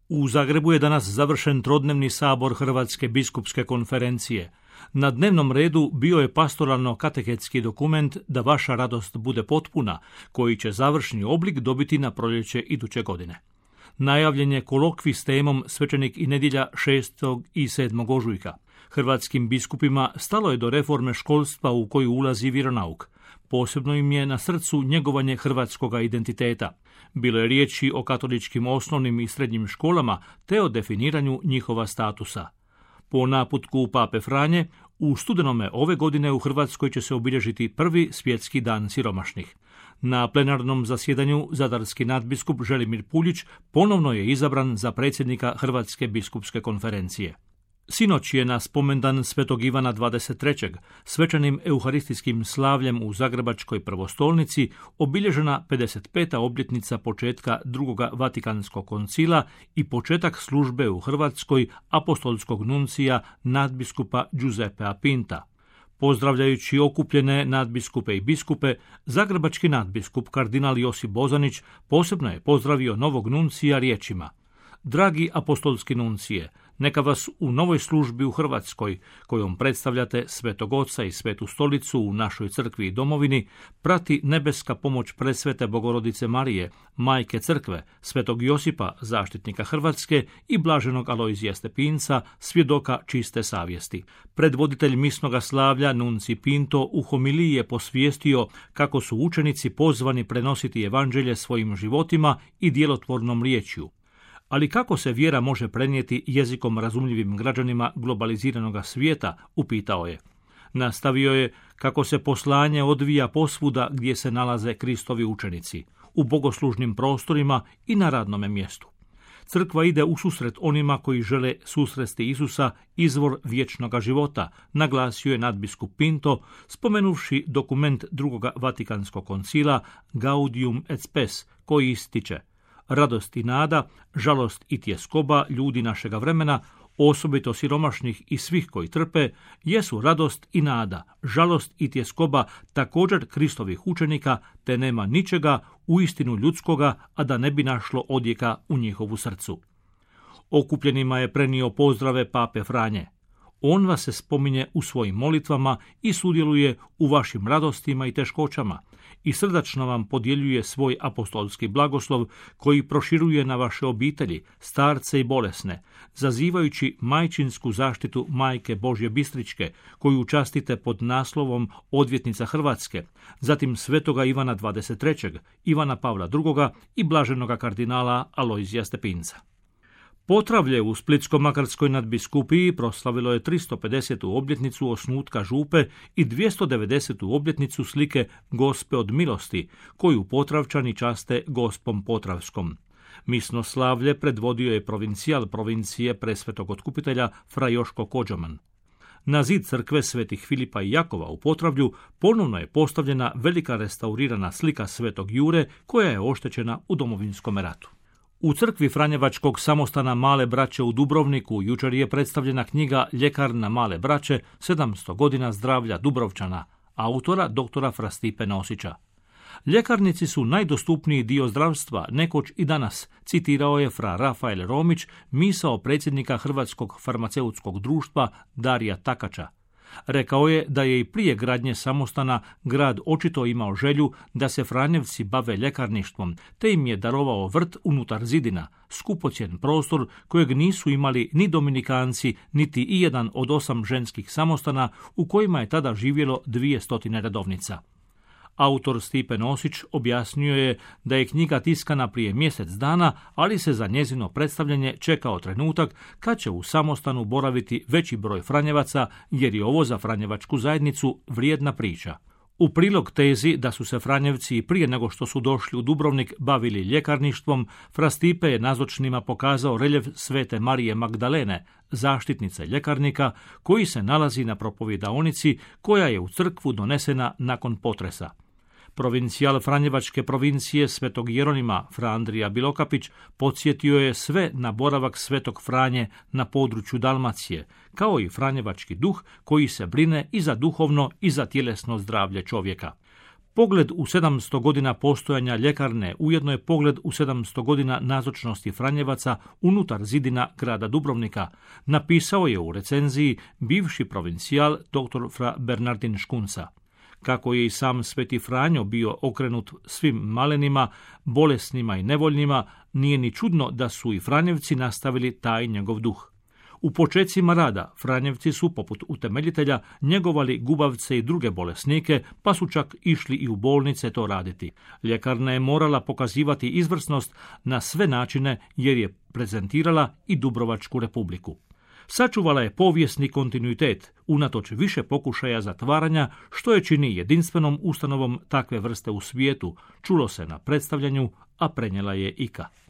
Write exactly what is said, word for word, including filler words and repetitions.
U Zagrebu je danas završen trodnevni sabor Hrvatske biskupske konferencije. Na dnevnom redu bio je pastoralno-katehetski dokument Da vaša radost bude potpuna, koji će završni oblik dobiti na proljeće iduće godine. Najavljen je kolokvij s temom Svećenik i nedjelja šestog i sedmog ožujka. Hrvatskim biskupima stalo je do reforme školstva u koju ulazi vjeronauk. Posebno im je na srcu njegovanje hrvatskoga identiteta. Bilo je riječi o katoličkim osnovnim i srednjim školama te o definiranju njihova statusa. Po naputku Pape Franje, u studenome ove godine u Hrvatskoj će se obilježiti prvi svjetski dan siromašnih. Na plenarnom zasjedanju zadarski nadbiskup Želimir Puljić ponovno je izabran za predsjednika Hrvatske biskupske konferencije. Sinoć je na spomendan Svetog Ivana dvadeset trećeg svečanim euharistijskim slavljem u Zagrebačkoj prvostolnici obilježena pedeset peta obljetnica početka drugoga Vatikanskog koncila i početak službe u Hrvatskoj apostolskog nuncija nadbiskupa Giuseppea Pinta. Pozdravljajući okupljene nadbiskupe i biskupe, zagrebački nadbiskup kardinal Josip Bozanić posebno je pozdravio novog nuncija riječima: Dragi apostolski nuncije, neka vas u novoj službi u Hrvatskoj, kojom predstavljate Svetog Oca i Svetu Stolicu u našoj crkvi i domovini, prati nebeska pomoć presvete Bogorodice Marije, Majke Crkve, Svetog Josipa, zaštitnika Hrvatske i blaženog Alojzija Stepinca, svjedoka čiste savjesti. Predvoditelj misnoga slavlja Nunci Pinto u homiliji je posvijestio kako su učenici pozvani prenositi evanđelje svojim životima i djelotvornom riječju. Ali kako se vjera može prenijeti jezikom razumljivim građanima globaliziranog svijeta, upitao je. Nastavio je kako se poslanje odvija posvuda gdje se nalaze Kristovi učenici, u bogoslužnim prostorima i na radnome mjestu. Crkva ide u susret onima koji žele susresti Isusa, izvor vječnoga života, naglasio je nadbiskup Pinto, spomenuvši dokument drugoga Vatikanskog koncila Gaudium et Spes, koji ističe: radost i nada, žalost i tjeskoba ljudi našega vremena, osobito siromašnih i svih koji trpe, jesu radost i nada, žalost i tjeskoba također Kristovih učenika, te nema ničega uistinu ljudskoga, a da ne bi našlo odjeka u njihovu srcu. Okupljenima je prenio pozdrave Pape Franje. On vas se spominje u svojim molitvama i sudjeluje u vašim radostima i teškoćama i srdačno vam podjeljuje svoj apostolski blagoslov koji proširuje na vaše obitelji, starce i bolesne, zazivajući majčinsku zaštitu Majke Božje Bistričke, koju častite pod naslovom Odvjetnica Hrvatske, zatim svetoga Ivana dvadeset trećeg, Ivana Pavla drugoga i blaženoga kardinala Alojzija Stepinca. Potravlje u Splitsko-makarskoj nadbiskupiji proslavilo je tristo pedesetu obljetnicu osnutka župe i dvjesto devedesetu obljetnicu slike Gospe od milosti, koju Potravčani časte Gospom Potravskom. Misno slavlje predvodio je provincijal provincije Presvetog Otkupitelja fra Joško Kođoman. Na zid crkve Svetih Filipa i Jakova u Potravlju ponovno je postavljena velika restaurirana slika Svetog Jure koja je oštećena u Domovinskom ratu. U crkvi Franjevačkog samostana Male Braće u Dubrovniku jučer je predstavljena knjiga Ljekarna Male Braće, sedamsto godina zdravlja Dubrovčana, autora doktora Fra Stipe Nosića. Ljekarnici su najdostupniji dio zdravstva, nekoć i danas, citirao je fra Rafael Romić, misao predsjednika Hrvatskog farmaceutskog društva Darija Takača. Rekao je da je i prije gradnje samostana grad očito imao želju da se Franjevci bave ljekarništvom, te im je darovao vrt unutar zidina, skupocjen prostor kojeg nisu imali ni Dominikanci, niti i jedan od osam ženskih samostana u kojima je tada živjelo dvije stotine redovnica. Autor Stipe Nosić objasnio je da je knjiga tiskana prije mjesec dana, ali se za njezino predstavljanje čekao trenutak kad će u samostanu boraviti veći broj Franjevaca, jer je ovo za Franjevačku zajednicu vrijedna priča. U prilog tezi da su se Franjevci prije nego što su došli u Dubrovnik bavili ljekarništvom, Fra Stipe je nazočnima pokazao reljef Svete Marije Magdalene, zaštitnice ljekarnika, koji se nalazi na propovjedaonici koja je u crkvu donesena nakon potresa. Provincijal Franjevačke provincije Svetog Jeronima, Fra Andrija Bilokapić, podsjetio je sve na boravak Svetog Franje na području Dalmacije, kao i Franjevački duh koji se brine i za duhovno i za tjelesno zdravlje čovjeka. Pogled u sedamsto godina postojanja ljekarne ujedno je pogled u sedamsto godina nazočnosti Franjevaca unutar zidina grada Dubrovnika, napisao je u recenziji bivši provincijal dr. fra Bernardin Škunca. Kako je i sam Sveti Franjo bio okrenut svim malenima, bolesnima i nevoljnima, nije ni čudno da su i Franjevci nastavili taj njegov duh. U počecima rada Franjevci su, poput utemeljitelja, njegovali gubavce i druge bolesnike, pa su čak išli i u bolnice to raditi. Ljekarna je morala pokazivati izvrsnost na sve načine jer je prezentirala i Dubrovačku republiku. Sačuvala je povijesni kontinuitet, unatoč više pokušaja zatvaranja, što je čini jedinstvenom ustanovom takve vrste u svijetu, čulo se na predstavljanju, a prenijela je I K A.